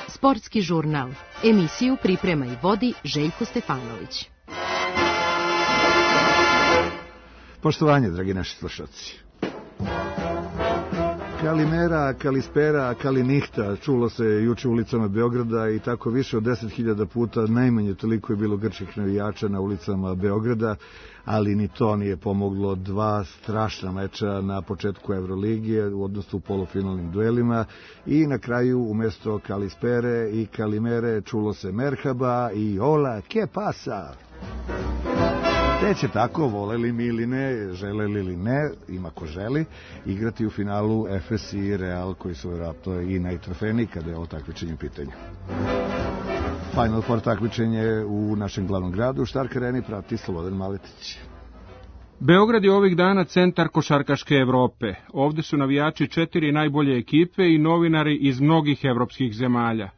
Sportski žurnal. Emisiju priprema i vodi Željko Stefanović. Poštovanje, dragi naši slušalci. Kalimera, kalispera, kalinihta, čulo se juče ulicama Beograda i tako više od 10.000 puta, najmanje toliko je bilo grčkih navijača na ulicama Beograda, ali ni to nije pomoglo. Dva strašna meča na početku Evroligije, odnosno u polufinalnim duelima, i na kraju umesto kalispere i kalimere čulo se merhaba i hola, ke pasa? Te će tako, voleli mi ili ne, želeli ili ne, ima ko želi, igrati u finalu Efes i Real, koji su vjerojatno i najtrofejniji kada je ovo takmičenje u pitanju. Final Four takmičenje u našem glavnom gradu, u Stark Areni, prati Slobodan Maletić. Beograd je ovih dana centar košarkaške Evrope. Ovde su navijači 4 najbolje ekipe i novinari iz mnogih evropskih zemalja.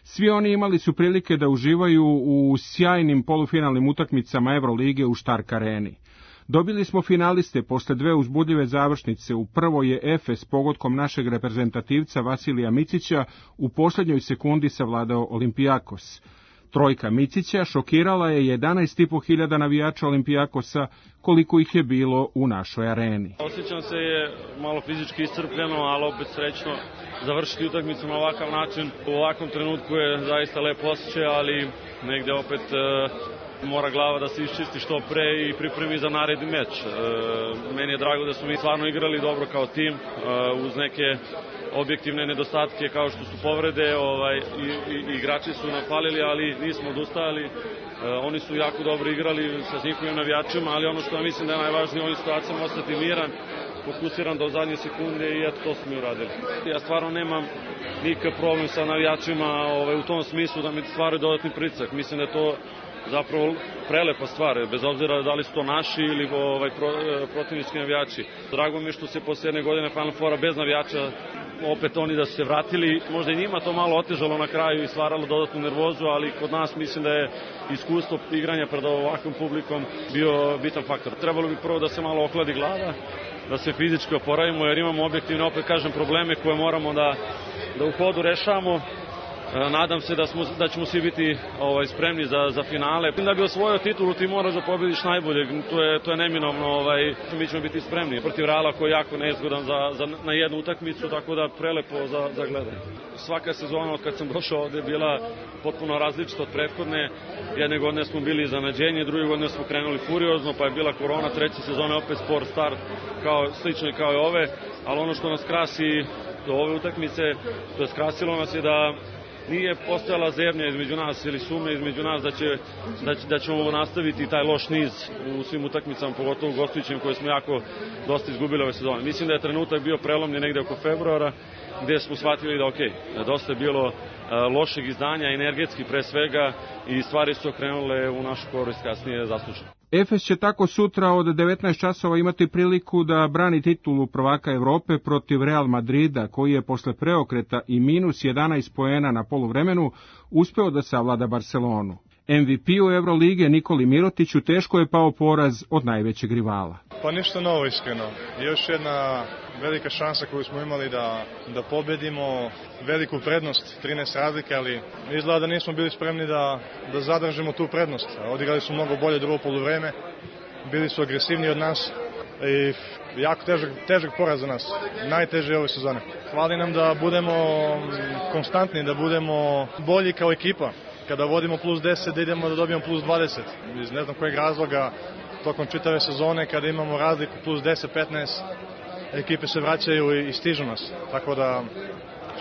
Svi oni imali su prilike da uživaju u sjajnim polufinalnim utakmicama Evrolige u Stark Areni. Dobili smo finaliste posle 2 uzbudljive završnice. U prvoj je Efes pogodkom našeg reprezentativca Vasilija Micića u poslednjoj sekundi savladao Olimpijakos. Trojka Micića šokirala je 11.500 navijača Olimpijakosa, koliko ih je bilo u našoj areni. Osjećam se malo fizički iscrpljeno, ali opet srećno završiti utakmicu na ovakav način. U ovakvom trenutku je zaista lepo osjećaj, ali negde opet mora glava da se iščisti što pre i pripremi za naredni meč. Meni je drago da smo mi stvarno igrali dobro kao tim, uz neke objektivne nedostatke kao što su povrede, igrači su napalili, ali nismo odustajali. Oni su jako dobro igrali sa njihovim navijačima, ali ono što ja mislim da je najvažnije u ovim situacijama ostati miran, fokusiran do zadnje sekunde i eto to smo i uradili. Ja stvarno nemam nikakav problem sa navijačima u tom smislu da mi stvaraju dodatni pritisak. Mislim da je to zapravo prelepa stvar, bez obzira da li su to naši ili protivnički navijači. Drago mi je što se posle jedne godine Final Fora bez navijača opet oni da su se vratili. Možda i njima to malo otežalo na kraju i stvaralo dodatnu nervozu, ali kod nas mislim da je iskustvo igranja pred ovakvom publikom bio bitan faktor. Trebalo bi prvo da se malo ohladi glava, da se fizički oporavimo, jer imamo objektivne, opet kažem, probleme koje moramo da u hodu rešavamo. Nadam se da ćemo svi biti spremni za finale. Da bi osvojio titulu ti moraš da pobediš najbolje, to je neminovno, mi ćemo biti spremni. Protiv Reala koji je jako nezgodan na jednu utakmicu, tako da prelepo za gledanje. Svaka sezona od kad sam došao ovde je bila potpuno različita od prethodne. Jedne godine smo bili iznenađenje, druge godine smo krenuli furiozno, pa je bila korona, treće sezone opet spor start, slično i kao i ove, ali ono što nas krasi do ove utakmice, to je skrasilo nas je da nije postojala zebnja između nas ili sumnja između nas da ćemo nastaviti taj loš niz u svim utakmicama, pogotovo u gostujućim koje smo dosta izgubili ove sezone. Mislim da je trenutak bio prelomni negde oko februara, gde smo shvatili da dosta je bilo lošeg izdanja, energetski pre svega, i stvari su okrenule u našu korist kasnije zasluženo. Efes će tako sutra od 19 časova imati priliku da brani titulu prvaka Evrope protiv Real Madrida, koji je posle preokreta i minus 11 poena na poluvremenu uspeo da savlada Barcelonu. MVP-u Evrolige Nikoli Mirotiću teško je pao poraz od najvećeg rivala. Pa ništa novo, iskreno. Još jedna velika šansa koju smo imali da pobedimo, veliku prednost, 13 razlike, ali izgleda da nismo bili spremni da zadržimo tu prednost. Odigrali su mnogo bolje drugo poluvreme, bili su agresivniji od nas i jako težak poraz za nas, najteže ove sezone. Hvali nam da budemo konstantni, da budemo bolji kao ekipa. Kada vodimo plus 10, da idemo da dobijemo plus 20. Iz ne znam kojeg razloga, tokom čitave sezone, kada imamo razliku plus 10-15, ekipe se vraćaju i stižu nas. Tako da,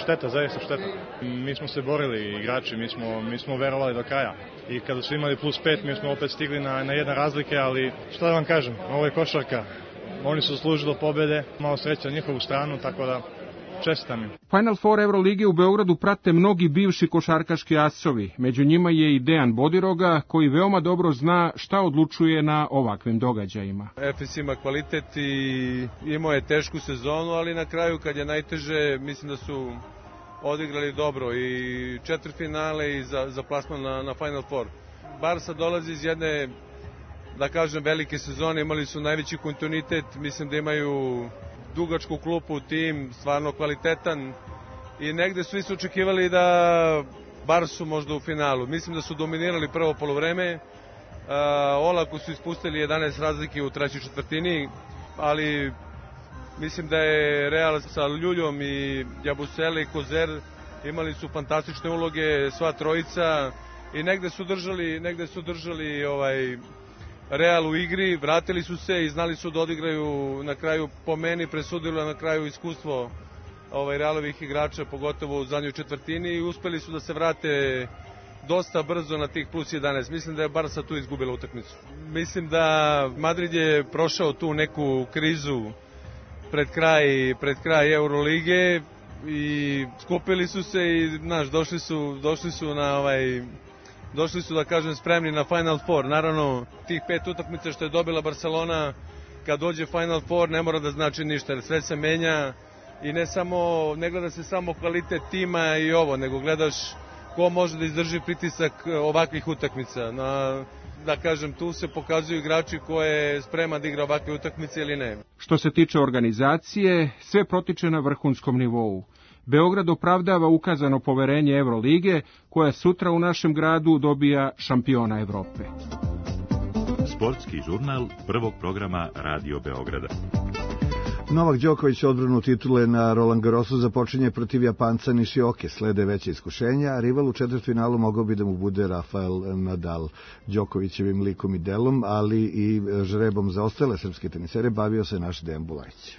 šteta, zaista šteta. Mi smo se borili, igrači, mi smo verovali do kraja. I kada su imali plus 5, mi smo opet stigli na jedna razlike, ali šta da vam kažem, ovo je košarka. Oni su zaslužili pobede, malo sreća na njihovu stranu, tako da čestitam im. Final Four Evrolige u Beogradu prate mnogi bivši košarkaški asovi. Među njima je i Dejan Bodiroga, koji veoma dobro zna šta odlučuje na ovakvim događajima. Efes ima kvalitet i imao je tešku sezonu, ali na kraju kad je najteže, mislim da su odigrali dobro i četvrtfinale i za plasman na Final Four. Barsa dolazi iz jedne da kažem, velike sezone, imali su najveći kontinuitet, mislim da imaju dugačku klupu, tim, stvarno kvalitetan i negde svi su očekivali da bar su možda u finalu. Mislim da su dominirali prvo polovreme, olako su ispustili 11 razlike u trećoj četvrtini, ali mislim da je Real sa Ljuljom i Jabusele i Kozer imali su fantastične uloge, sva trojica, i negde su držali Real u igri, vratili su se i znali su da odigraju na kraju, po meni presudilo na kraju iskustvo Realovih igrača, pogotovo u zadnjoj četvrtini, i uspeli su da se vrate dosta brzo na tih plus 11. Mislim da je Barca tu izgubila utakmicu. Mislim da Madrid je prošao tu neku krizu pred kraj Eurolige i skupili su se i došli su da kažem spremni na Final Four. Naravno, tih 5 utakmica što je dobila Barcelona, kad dođe Final Four ne mora da znači ništa, jer sve se menja i ne gleda se samo kvalitet tima i ovo, nego gledaš ko može da izdrži pritisak ovakvih utakmica. Da kažem, tu se pokazuju igrači ko je spreman da igra ovakve utakmice ili ne. Što se tiče organizacije, sve protiče na vrhunskom nivou. Beograd opravdava ukazano poverenje Evrolige, koja sutra u našem gradu dobija šampiona Evrope. Sportski žurnal prvog programa Radio Beograda. Novak Đoković odbranu titule na Roland Garrosu započinje protiv Japanca Nishioke. Slede veće iskušenja, a rival u četvrtfinalu mogao bi da mu bude Rafael Nadal. Đokovićevim likom i delom, ali i žrebom za ostale srpske tenisere bavio se naš Dejan Bulajić.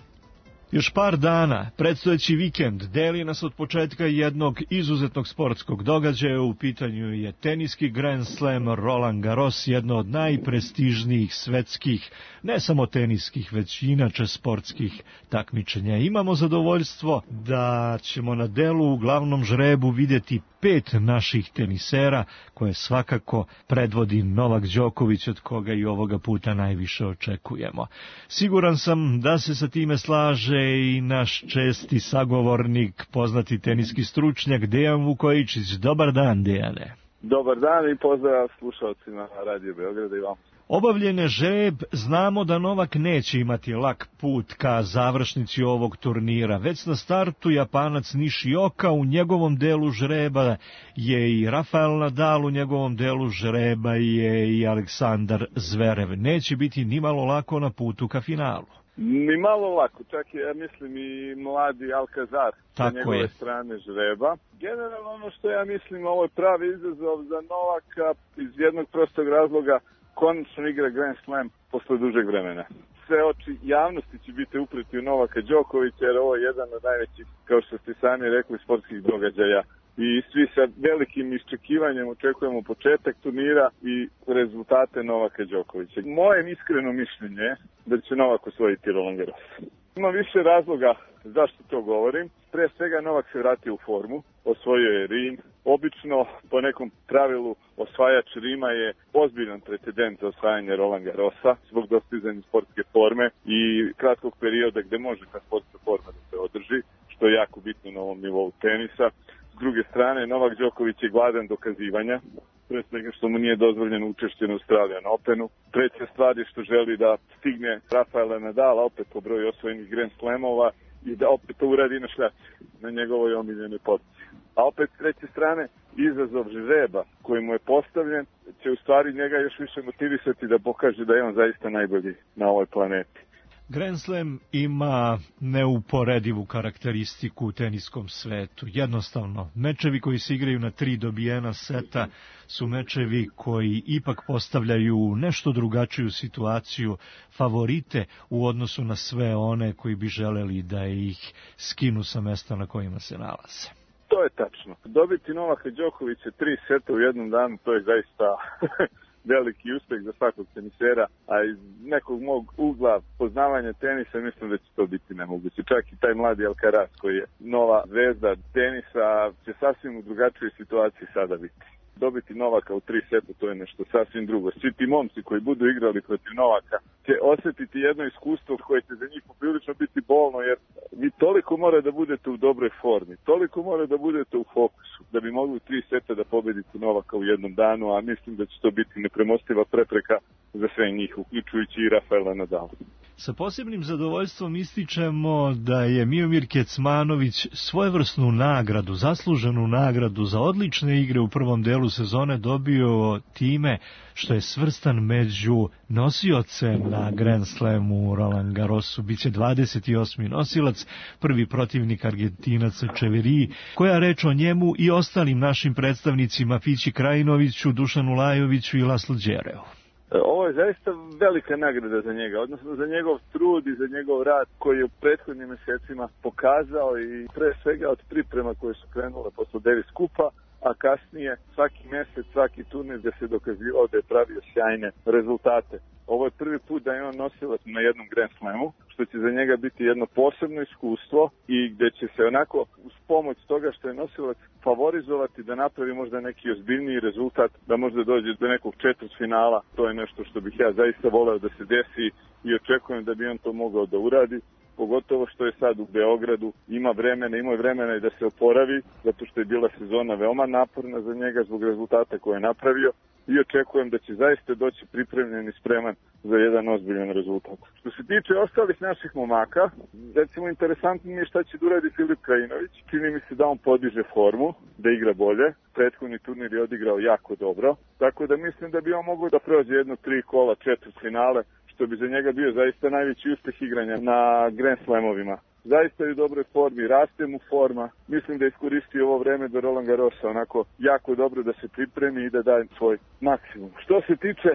Još par dana, predstojeći vikend, deli nas od početka jednog izuzetnog sportskog događaja. U pitanju je teniski Grand Slam Roland Garros, jedno od najprestižnijih svetskih, ne samo teniskih, već inače sportskih takmičenja. Imamo zadovoljstvo da ćemo na delu u glavnom žrebu vidjeti 5 naših tenisera, koje svakako predvodi Novak Đoković, od koga i ovoga puta najviše očekujemo. Siguran sam da se sa time slaže i naš česti sagovornik, poznati teniski stručnjak Dejan Vukojičić. Dobar dan, Dejane. Dobar dan i pozdrav slušalcima Radio Beograda i vam. Obavljen je žreb, znamo da Novak neće imati lak put ka završnici ovog turnira. Već na startu Japanac Nishioka, u njegovom delu žreba je i Rafael Nadal, u njegovom delu žreba je i Aleksandar Zverev. Neće biti ni malo lako na putu ka finalu. Ni malo lako, čak je, ja mislim, i mladi Alcazar sa njegove strane žreba. Generalno ono što ja mislim, ovo je pravi izazov za Novaka iz jednog prostog razloga, konačno igra Grand Slam posle dužeg vremena. Sve oči javnosti će biti upreti u Novaka Đokovića, jer ovo je jedan od najvećih, kao što ste sami rekli, sportskih događaja. I svi sa velikim iščekivanjem očekujemo početak turnira i rezultate Novaka Đokovića. Moje iskreno mišljenje je da će Novak osvojiti Roland Garros. Ima više razloga zašto to govorim. Pre svega Novak se vratio u formu, osvojio je Rim. Obično, po nekom pravilu, osvajač Rima je ozbiljan precedent za osvajanje Roland Garrosa zbog dostizanja sportske forme i kratkog perioda gde može ta sportska forma da se održi, što je jako bitno na ovom nivou tenisa. S druge strane, Novak Đoković je gladan dokazivanja, pre svega što mu nije dozvoljeno učešće na Australian Openu. Treća stvar je što želi da stigne Rafaela Nadala opet po broju osvojenih Grand Slamova i da opet to uradi na šljaci, na njegovoj omiljenoj poziciji. A opet s treće strane, izazov žreba koji mu je postavljen će u stvari njega još više motivisati da pokaže da je on zaista najbolji na ovoj planeti. Grand Slam ima neuporedivu karakteristiku u teniskom svetu. Jednostavno, mečevi koji se igraju na 3 dobijena seta su mečevi koji ipak postavljaju nešto drugačiju situaciju, favorite u odnosu na sve one koji bi želeli da ih skinu sa mesta na kojima se nalaze. To je tačno. Dobiti Novaka Đokovića 3 seta u jednom danu, to je zaista veliki uspeh za svakog tenisera, a iz nekog mog ugla poznavanja tenisa mislim da će to biti nemoguće. Čak i taj mladi Alcaraz koji je nova zvezda tenisa će sasvim u drugačijoj situaciji sada biti. Dobiti Novaka u 3 seta, to je nešto sasvim drugo. Svi ti momci koji budu igrali protiv Novaka će osjetiti jedno iskustvo koje će za njih poprilično biti bolno, jer vi toliko mora da budete u dobroj formi, toliko mora da budete u fokusu, da bi mogli u 3 seta da pobedite Novaka u jednom danu, a mislim da će to biti nepremostiva prepreka za sve njih, uključujući i Rafaela Nadala. Sa posebnim zadovoljstvom ističemo da je Miomir Kecmanović svojevrsnu nagradu, zasluženu nagradu za odlične igre u prvom delu sezone dobio time što je svrstan među nosioce na Grand Slamu Roland Garrosu. Biće 28. nosilac, prvi protivnik Argentinac Čeveri. Koja reč o njemu i ostalim našim predstavnicima Fići Krajinoviću, Dušanu Lajoviću i Laslo Đereu? Ovo je zaista velika nagrada za njega, odnosno za njegov trud i za njegov rad koji je u prethodnim mjesecima pokazao i pre svega od priprema koje su krenule posle Davis Kupa, a kasnije svaki mjesec, svaki turnir gdje se dokazivao da je pravio sjajne rezultate. Ovo je prvi put da je on nosilac na jednom Grand Slamu, što će za njega biti jedno posebno iskustvo i gdje će se onako uz pomoć toga što je nosilac favorizovati da napravi možda neki ozbiljniji rezultat, da možda dođe do nekog četvrtfinala. To je nešto što bih ja zaista voleo da se desi i očekujem da bi on to mogao da uradi. Pogotovo što je sad u Beogradu, imao je vremena i da se oporavi, zato što je bila sezona veoma naporna za njega zbog rezultata koje je napravio i očekujem da će zaista doći pripremljen i spreman za jedan ozbiljan rezultat. Što se tiče ostalih naših momaka, recimo interesantno mi je šta će da uradi Filip Krajinović. Čini mi se da on podiže formu, da igra bolje. Prethodni turnir je odigrao jako dobro, tako da mislim da bi on mogao da prođe 3 kola četvrtfinale, što bi za njega bio zaista najveći uspeh igranja na Grand Slamovima. Zaista je u dobroj formi, raste mu forma. Mislim da iskoristi ovo vreme do Roland Garrosa onako jako dobro da se pripremi i da daje svoj maksimum. Što se tiče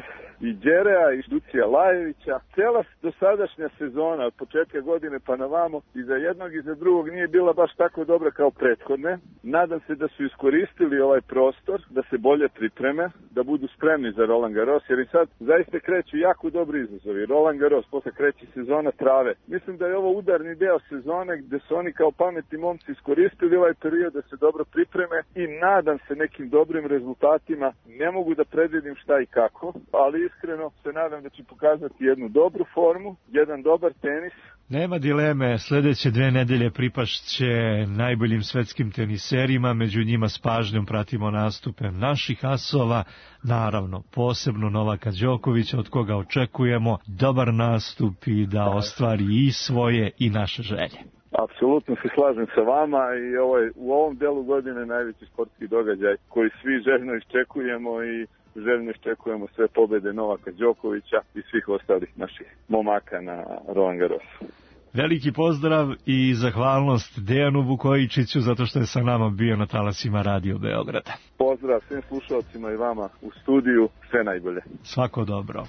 i Đerea i Ducija Lajevića, cijela dosadašnja sezona od početka godine pa na vamo i za jednog i za drugog nije bila baš tako dobra kao prethodne. Nadam se da su iskoristili ovaj prostor, da se bolje pripreme, da budu spremni za Roland Garros, jer i sad zaista kreću jako dobri izazovi. Roland Garros, posle kreće sezona trave. Mislim da je ovo udarni deo sezone gdje su oni kao pametni momci iskoristili ovaj period da se dobro pripreme i nadam se nekim dobrim rezultatima. Ne mogu da predvidim šta i kako, ali iskreno se nadam da će pokazati jednu dobru formu, jedan dobar tenis. Nema dileme, sljedeće 2 nedelje pripašće najboljim svetskim teniserima, među njima s pažnjom pratimo nastupe naših asova, naravno posebno Novaka Đokovića, od koga očekujemo dobar nastup i da ostvari i svoje i naše želje. Apsolutno se slažem sa vama i u ovom delu godine najveći sportski događaj koji svi željno iščekujemo i željno iščekujemo sve pobjede Novaka Đokovića i svih ostalih naših momaka na Roland Garrosu. Veliki pozdrav i zahvalnost Dejanu Vukojičiću zato što je sa nama bio na talasima Radio Beograda. Pozdrav svim slušalcima i vama u studiju, sve najbolje. Svako dobro.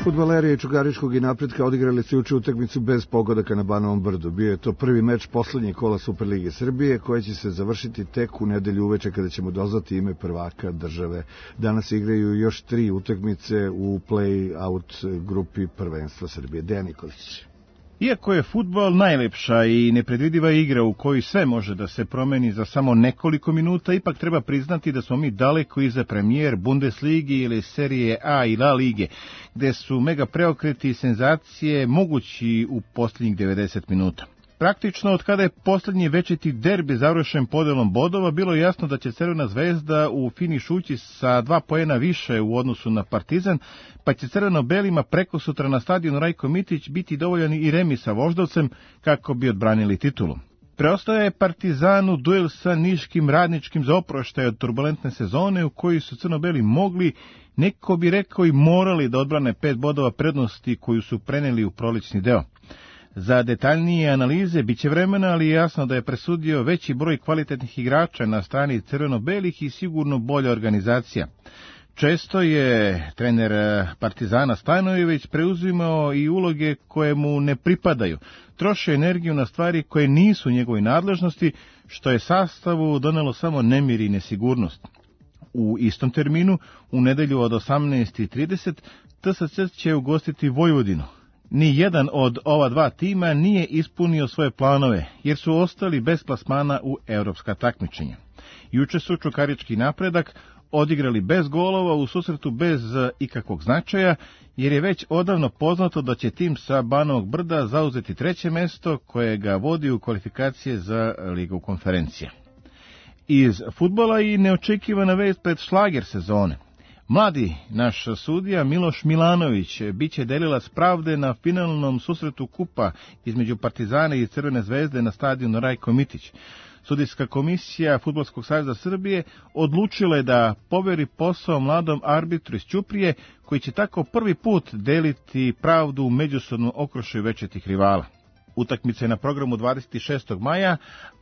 Fudbaleri Čugaričkog i Napretka odigrali su juče utakmicu bez pogodaka na Banovom Brdu. Bio je to prvi meč poslednjeg kola Superlige Srbije, koji će se završiti tek u nedelju uveče kada ćemo doznati ime prvaka države. Danas igraju još 3 utakmice u play-out grupi prvenstva Srbije. Dejan Nikolić. Iako je fudbal najlepša i nepredvidiva igra u kojoj sve može da se promeni za samo nekoliko minuta, ipak treba priznati da smo mi daleko iza premijer Bundesligi ili Serije A i La Lige, gde su mega preokreti i senzacije mogući u posljednjih 90 minuta. Praktično, od kada je posljednji večiti derbi završen podelom bodova, bilo je jasno da će Crvena zvezda u finiš ući sa 2 poena više u odnosu na Partizan, pa će crveno-belima prekosutra na stadionu Rajko Mitić biti dovoljan i remi sa Voždovcem kako bi odbranili titulu. Preostaje je Partizanu duel sa Niškim Radničkim za oproštaj od turbulentne sezone u kojoj su crno-beli mogli, neko bi rekao i morali da odbrane 5 bodova prednosti koju su preneli u prolećni deo. Za detaljnije analize biće vremena, ali je jasno da je presudio veći broj kvalitetnih igrača na strani crveno-belih i sigurno bolja organizacija. Često je trener Partizana Stajnojević preuzimao i uloge koje mu ne pripadaju, trošio energiju na stvari koje nisu u njegovoj nadležnosti, što je sastavu donelo samo nemir i nesigurnost. U istom terminu, u nedelju od 18:30, TSC će ugostiti Vojvodinu. Ni jedan od ova 2 tima nije ispunio svoje planove, jer su ostali bez plasmana u evropska takmičenja. Juče su Čukarički Napredak odigrali bez golova u susretu bez ikakvog značaja, jer je već odavno poznato da će tim sa Banovog Brda zauzeti 3. mesto koje ga vodi u kvalifikacije za Ligu konferencija. Iz fudbala i neočekivana vest pred šlager sezone. Mladi naš sudija Miloš Milanović biće delilac pravde na finalnom susretu kupa između Partizana i Crvene zvezde na stadionu Rajko Mitić. Sudijska komisija Fudbalskog saveza Srbije odlučila je da poveri posao mladom arbitru iz Ćuprije, koji će tako prvi put deliti pravdu u međusobnom okružju večitih rivala. Utakmica je na programu 26. maja,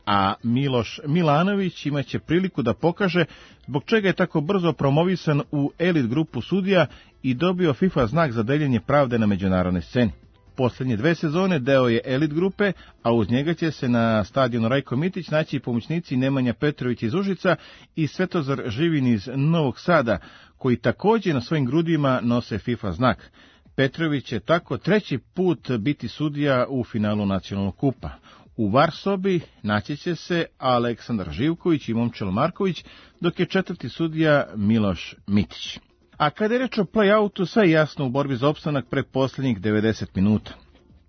a Miloš Milanović imaće priliku da pokaže zbog čega je tako brzo promovisan u elit grupu sudija i dobio FIFA znak za deljenje pravde na međunarodnoj sceni. Poslednje 2 sezone deo je elit grupe, a uz njega će se na stadionu Rajko Mitić naći i pomoćnici Nemanja Petrović iz Užica i Svetozar Živin iz Novog Sada, koji takođe na svojim grudima nose FIFA znak. Petrović će tako 3. put biti sudija u finalu nacionalnog kupa. U VAR sobi naći će se Aleksandar Živković i Momčilo Marković, dok je 4. sudija Miloš Mitić. A kada je reč o play-outu, sve je jasno u borbi za opstanak pre posljednjih 90 minuta.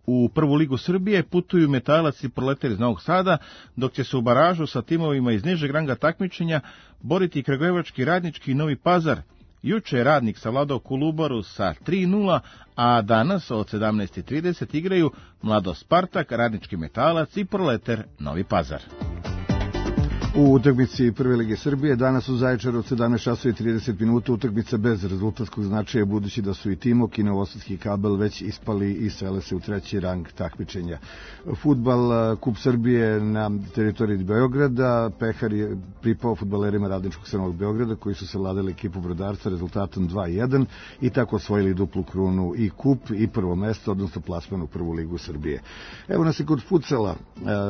U prvu ligu Srbije putuju Metalac i Proletar iz Novog Sada, dok će se u baražu sa timovima iz nižeg ranga takmičenja boriti Kragujevački, Radnički i Novi Pazar. Juče je Radnik savladao Kolubaru sa 3:0, a danas od 17:30 igraju Mlado Spartak, Radnički Metalac i Proletar Novi Pazar. U utakmici Prve lige Srbije danas u Zaječaru od 17:30 utakmica bez rezultatskog značaja, budući da su i Timok i Novosadski Kabel već ispali i sele se u 3. rang takmičenja. Fudbal Kup Srbije na teritoriji Beograda, Pehar je pripao fudbalerima Radničkog Crvenog Beograda, koji su savladali ekipu Brodarca rezultatom 2:1 i tako osvojili duplu krunu i kup i prvo mesto, odnosno plasman u Prvu ligu Srbije. Evo nas i kod futsala.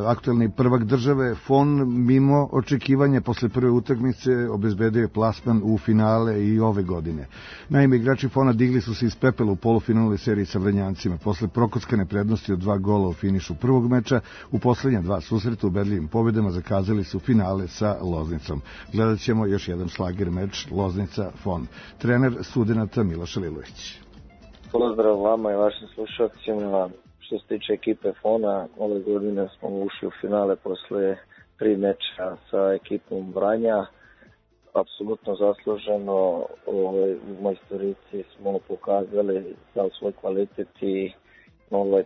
Aktuelni prvak države FON mimo očekivanja posle prve utakmice obezbedio je plasman u finale i ove godine. Naime, igrači FON-a digli su se iz pepela u polufinalnoj seriji sa Vrnjancima. Posle prokockane prednosti od 2 gola u finišu prvog meča, u poslednja 2 susreta ubedljivim pobedama zakazali su finale sa Loznicom. Gledat ćemo još jedan šlager meč Loznica-FON. Trener studenata Miloš Lilović. Pozdrav vama i vašim slušalcima. Što se tiče ekipe FON-a, ove godine smo ušli u finale posle 3 meča sa ekipom Vranja. Apsolutno zasluženo, u majstorici smo pokazali sav svoj kvalitet i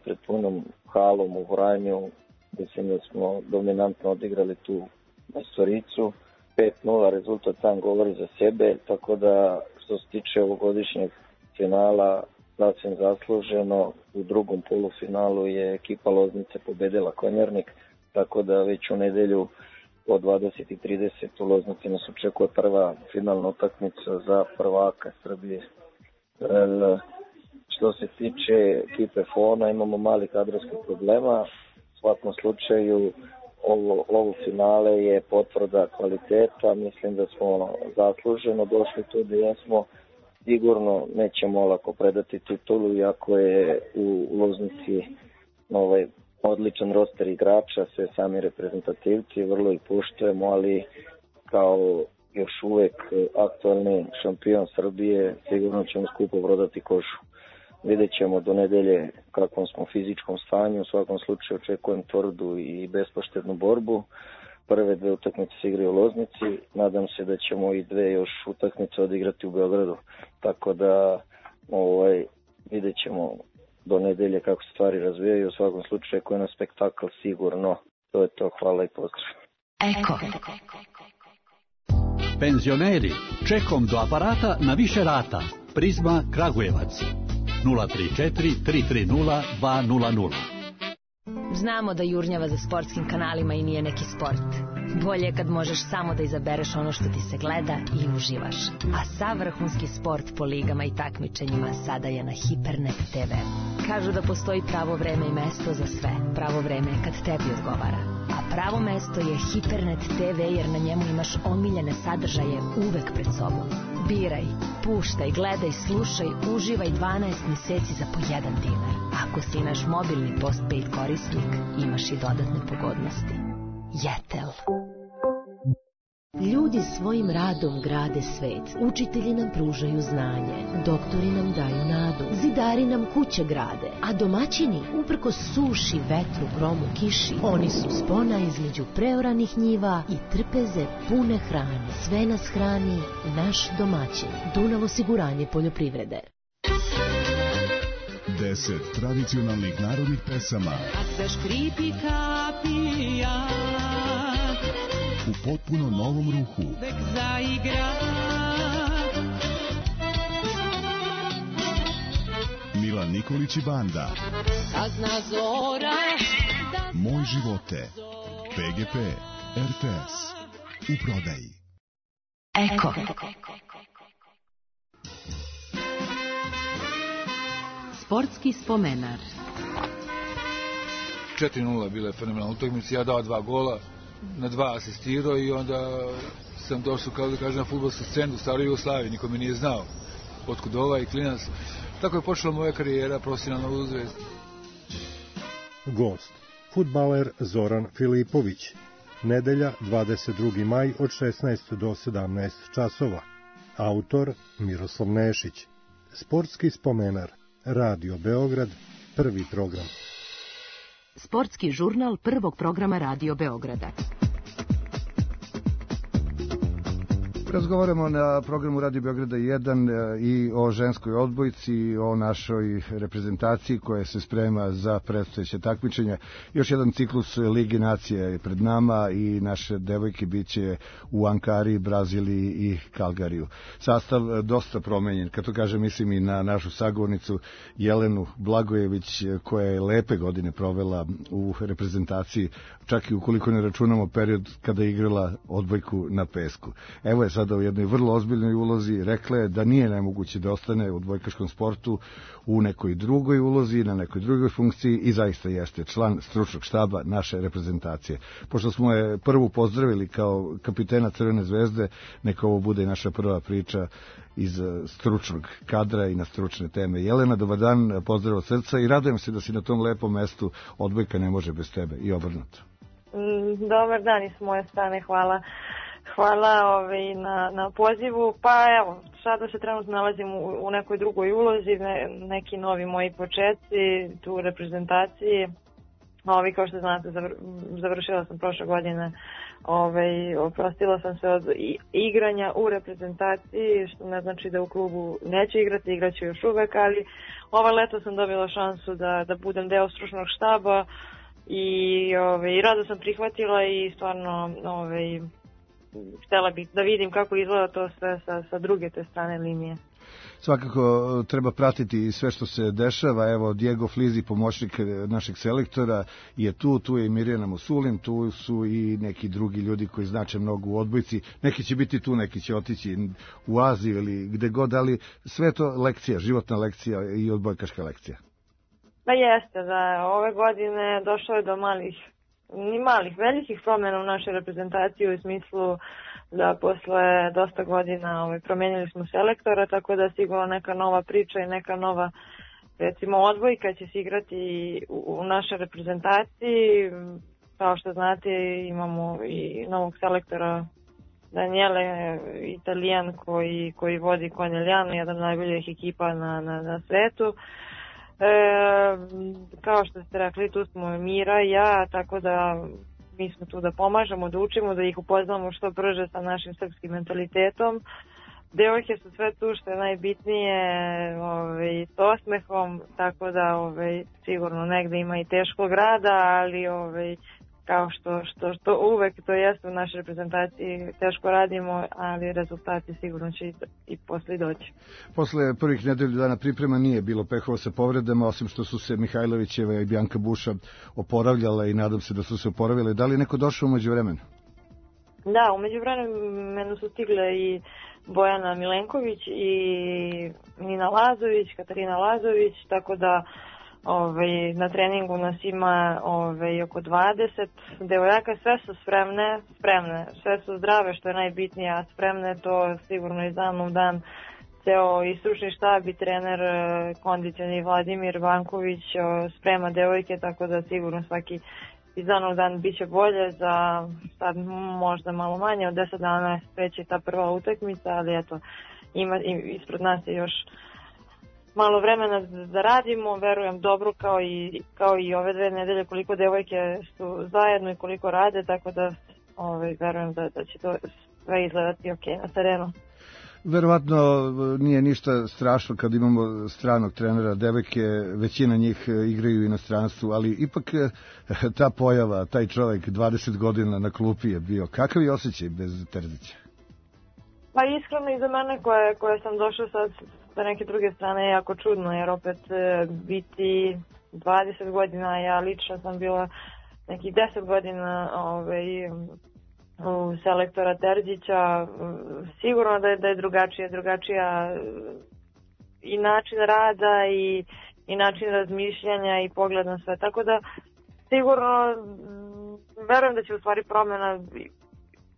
pred punom halom u Vranju. Mislim da smo dominantno odigrali tu majstoricu. 5:0 rezultat sam govori za sebe, tako da što se tiče ovogodišnjeg finala, sasvim zasluženo. U drugom polufinalu je ekipa Loznice pobedila Konjarnik, tako da već u nedelju od 20:30 u Loznici nas očekuje prva finalna utakmica za prvaka Srbije. Što se tiče ekipe FON-a, imamo mali kadrovskih problema. U svakom slučaju ovo finale je potvrda kvaliteta. Mislim da smo zasluženo došli tu gde jesmo. Sigurno nećemo olako predati titulu, iako je u Loznici odličan roster igrača, sve sami reprezentativci, vrlo ih poštujemo, ali kao još uvek aktualni šampion Srbije, sigurno ćemo skupo prodati kožu. Vidjet ćemo do nedelje kakvom smo fizičkom stanju, u svakom slučaju očekujem tvrdu i bespoštednu borbu. Prve 2 utakmice se igraju u Loznici, nadam se da ćemo i 2 još utakmice odigrati u Beogradu, tako da vidjet ćemo do nedelje kako se stvari razvijaju, u svakom slučaju koji je na spektakl sigurno. To je to, hvala i pozdrav. Eko. Penzioneri, čekom do aparata na više rata. Prizma Kragujevac 034 330 200. Znamo da jurnjava za sportskim kanalima i nije neki sport. Bolje je kad možeš samo da izabereš ono što ti se gleda i uživaš. A sav vrhunski sport po ligama i takmičenjima sada je na Hipernet TV. Kažu da postoji pravo vreme i mesto za sve. Pravo vreme je kad tebi odgovara. A pravo mesto je Hipernet TV jer na njemu imaš omiljene sadržaje uvek pred sobom. Biraj, puštaj, gledaj, slušaj, uživaj 12 meseci za po $1. Ako si naš mobilni postpaid korisnik, imaš i dodatne pogodnosti. Jetel. Ljudi svojim radom grade svet, učitelji nam pružaju znanje, doktori nam daju nadu, zidari nam kuće grade, a domaćini, uprkos suši, vetru, gromu, kiši, oni su spona između preoranih njiva i trpeze pune hrane. Sve nas hrani naš domaćin. Dunav osiguranje poljoprivrede. 10 tradicionalnih narodnih pesama. Kad zaškripi kapija, u potpuno novom ruhu. Nek zaigra. Milan Nikolić i banda. Kad zna zora. Moj živote. PGP. RTS. U prodaji. Eko. Sportski spomenar. 4:0 bila je fenomenalna utakmica, ja dao 2 gola, na 2 asistirao i onda sam došao, kao da kažem, na fudbalsku scenu u staroj Jugoslaviji, niko me nije znao otkud i klinac. Tako je počela moja karijera profesionalna u Zvezdi. Gost, fudbaler Zoran Filipović. Nedelja, 22. maj od 16 do 17 časova. Autor Miroslav Nešić. Sportski spomenar. Radio Beograd, prvi program. Sportski žurnal prvog programa Radio Beograda. Razgovaramo na programu Radio Beograda 1 i o ženskoj odbojci i o našoj reprezentaciji koja se sprema za predstojeće takmičenja. Još jedan ciklus Ligi nacija je pred nama i naše devojke biće u Ankari, Braziliji i Kalgariju. Sastav dosta promenjen, kad to kažem mislim i na našu sagovornicu Jelenu Blagojević koja je lepe godine provela u reprezentaciji, čak i ukoliko ne računamo period kada je igrala odbojku na pesku. Evo je sada u jednoj vrlo ozbiljnoj ulozi, rekla je da nije nemoguće da ostane u odbojkaškom sportu u nekoj drugoj ulozi, na nekoj drugoj funkciji i zaista jeste član stručnog štaba naše reprezentacije. Pošto smo je prvu pozdravili kao kapitena Crvene zvezde, neka ovo bude naša prva priča iz stručnog kadra i na stručne teme. Jelena, dobar dan, pozdrav od srca i radujem se da si na tom lepom mestu, odbojka ne može bez tebe i obrnuto. Dobar dan i s moje strane, hvala. Hvala na pozivu. Pa evo, sada se trenutno nalazim u nekoj drugoj ulozi, neki novi moji početci, tu u reprezentaciji. Kao što znate, završila sam prošle godine, oprostila sam se od igranja u reprezentaciji, što ne znači da u klubu neću igrati, igraću još uvek, ali leto sam dobila šansu da budem deo stručnog štaba i rado sam prihvatila i stvarno htjela bih da vidim kako izgleda to sve sa druge te strane linije. Svakako treba pratiti sve što se dešava. Evo, Diego Flizi, pomoćnik našeg selektora, je tu je i Mirjana Musulin, tu su i neki drugi ljudi koji znače mnogo u odbojci. Neki će biti tu, neki će otići u Aziju ili gde god, ali sve to lekcija, životna lekcija i odbojkaška lekcija. Pa jeste, da ove godine došlo je do velikih promjena u našoj reprezentaciji u smislu da posle dosta godina promijenili smo selektora, tako da sigurno neka nova priča i neka nova, recimo, odbojka će se igrati u našoj reprezentaciji. Kao što znate, imamo i novog selektora Daniele, Italijan koji vodi Conegliano, jedan od najboljih ekipa na svetu. Kao što ste rekli, tu smo Mira i ja, tako da mi smo tu da pomažemo, da učimo, da ih upoznamo što brže sa našim srpskim mentalitetom. Devojke su sve tu što je najbitnije, s osmehom, tako da sigurno negde ima i teškog rada, ali kao što uvek to jeste u našoj reprezentaciji, teško radimo, ali rezultati sigurno će i posle doći. Posle prvih nedelju dana priprema nije bilo pehova sa povredama, osim što su se Mihajlovićeva i Bjanka Buša oporavljala i nadam se da su se oporavile. Da li neko došao umeđu vremenu? Da, umeđu vremenu su stigle i Bojana Milenković i Nina Lazović, Katarina Lazović, tako da na treningu nas ima oko 20 devojaka, sve su spremne, sve su zdrave, što je najbitnije, a spremne to sigurno iz dana u dan ceo i stručni štab i trener kondicioni Vladimir Vanković sprema devojke, tako da sigurno iz dana u dan bit će bolje, za sad možda malo manje, od 10 dana kreće ta prva utakmica, ali eto, ispred nas je još malo vremena da radimo, verujem dobro kao i ove 2 nedelje koliko devojke su zajedno i koliko rade, tako da verujem da će to sve izgledati ok na terenu. Verovatno nije ništa strašno kad imamo stranog trenera, devojke, većina njih igraju u inostranstvu, ali ipak ta pojava, taj čovjek 20 godina na klupi je bio. Kakav je osjećaj bez Terzića? Pa iskreno i za mene koja sam došla sad sa neke druge strane je jako čudno, jer opet biti 20 godina, ja lično sam bila nekih 10 godina u selektora Terzića, sigurno da je drugačija i način rada i način razmišljanja i pogled na sve, tako da sigurno verujem da će u stvari promjena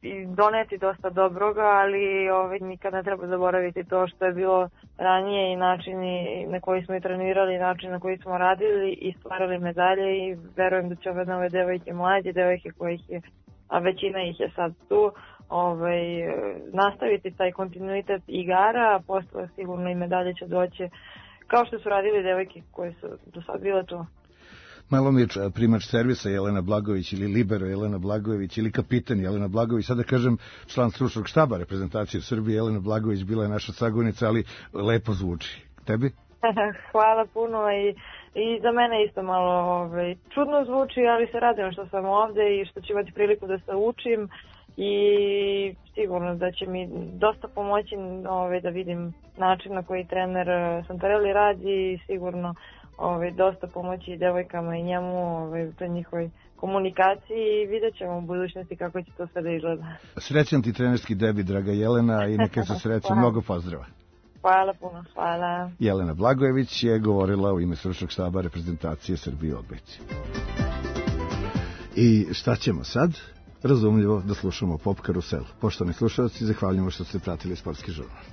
i doneti dosta dobroga, ali nikad ne treba zaboraviti to što je bilo ranije i načini na koji smo i trenirali, način na koji smo radili i stvarali medalje, i verujem da će ove nove devojke, mlađe devojke kojih je, a većina ih je sad tu, nastaviti taj kontinuitet igara, a posle sigurno i medalje će doći kao što su radili devojke koje su do sad bile tu. Malo mi je primač servisa Jelena Blagojević ili libero Jelena Blagojević ili kapitan Jelena Blagojević, sada kažem član stručnog štaba reprezentacije Srbije. Jelena Blagojević bila je naša sagovornica, ali lepo zvuči. Tebi? Hvala puno, i za mene isto malo čudno zvuči, ali se radim što sam ovde i što ću imati priliku da se učim, i sigurno da će mi dosta pomoći da vidim način na koji trener Santarelli radi, i sigurno dosta pomoći i devojkama i njemu u toj njihovoj komunikaciji, i vidjet ćemo u budućnosti kako će to sve da izgleda. Srećan ti trenerski debi, draga Jelena, i neka se sreće. Mnogo pozdrava. Hvala puno, hvala. Jelena Blagojević je govorila u ime stručnog štaba reprezentacije Srbije u odbojci. I šta ćemo sad? Razumljivo da slušamo Pop Karusel. Poštovani slušalci, zahvaljujemo što ste pratili Sportski žurnal.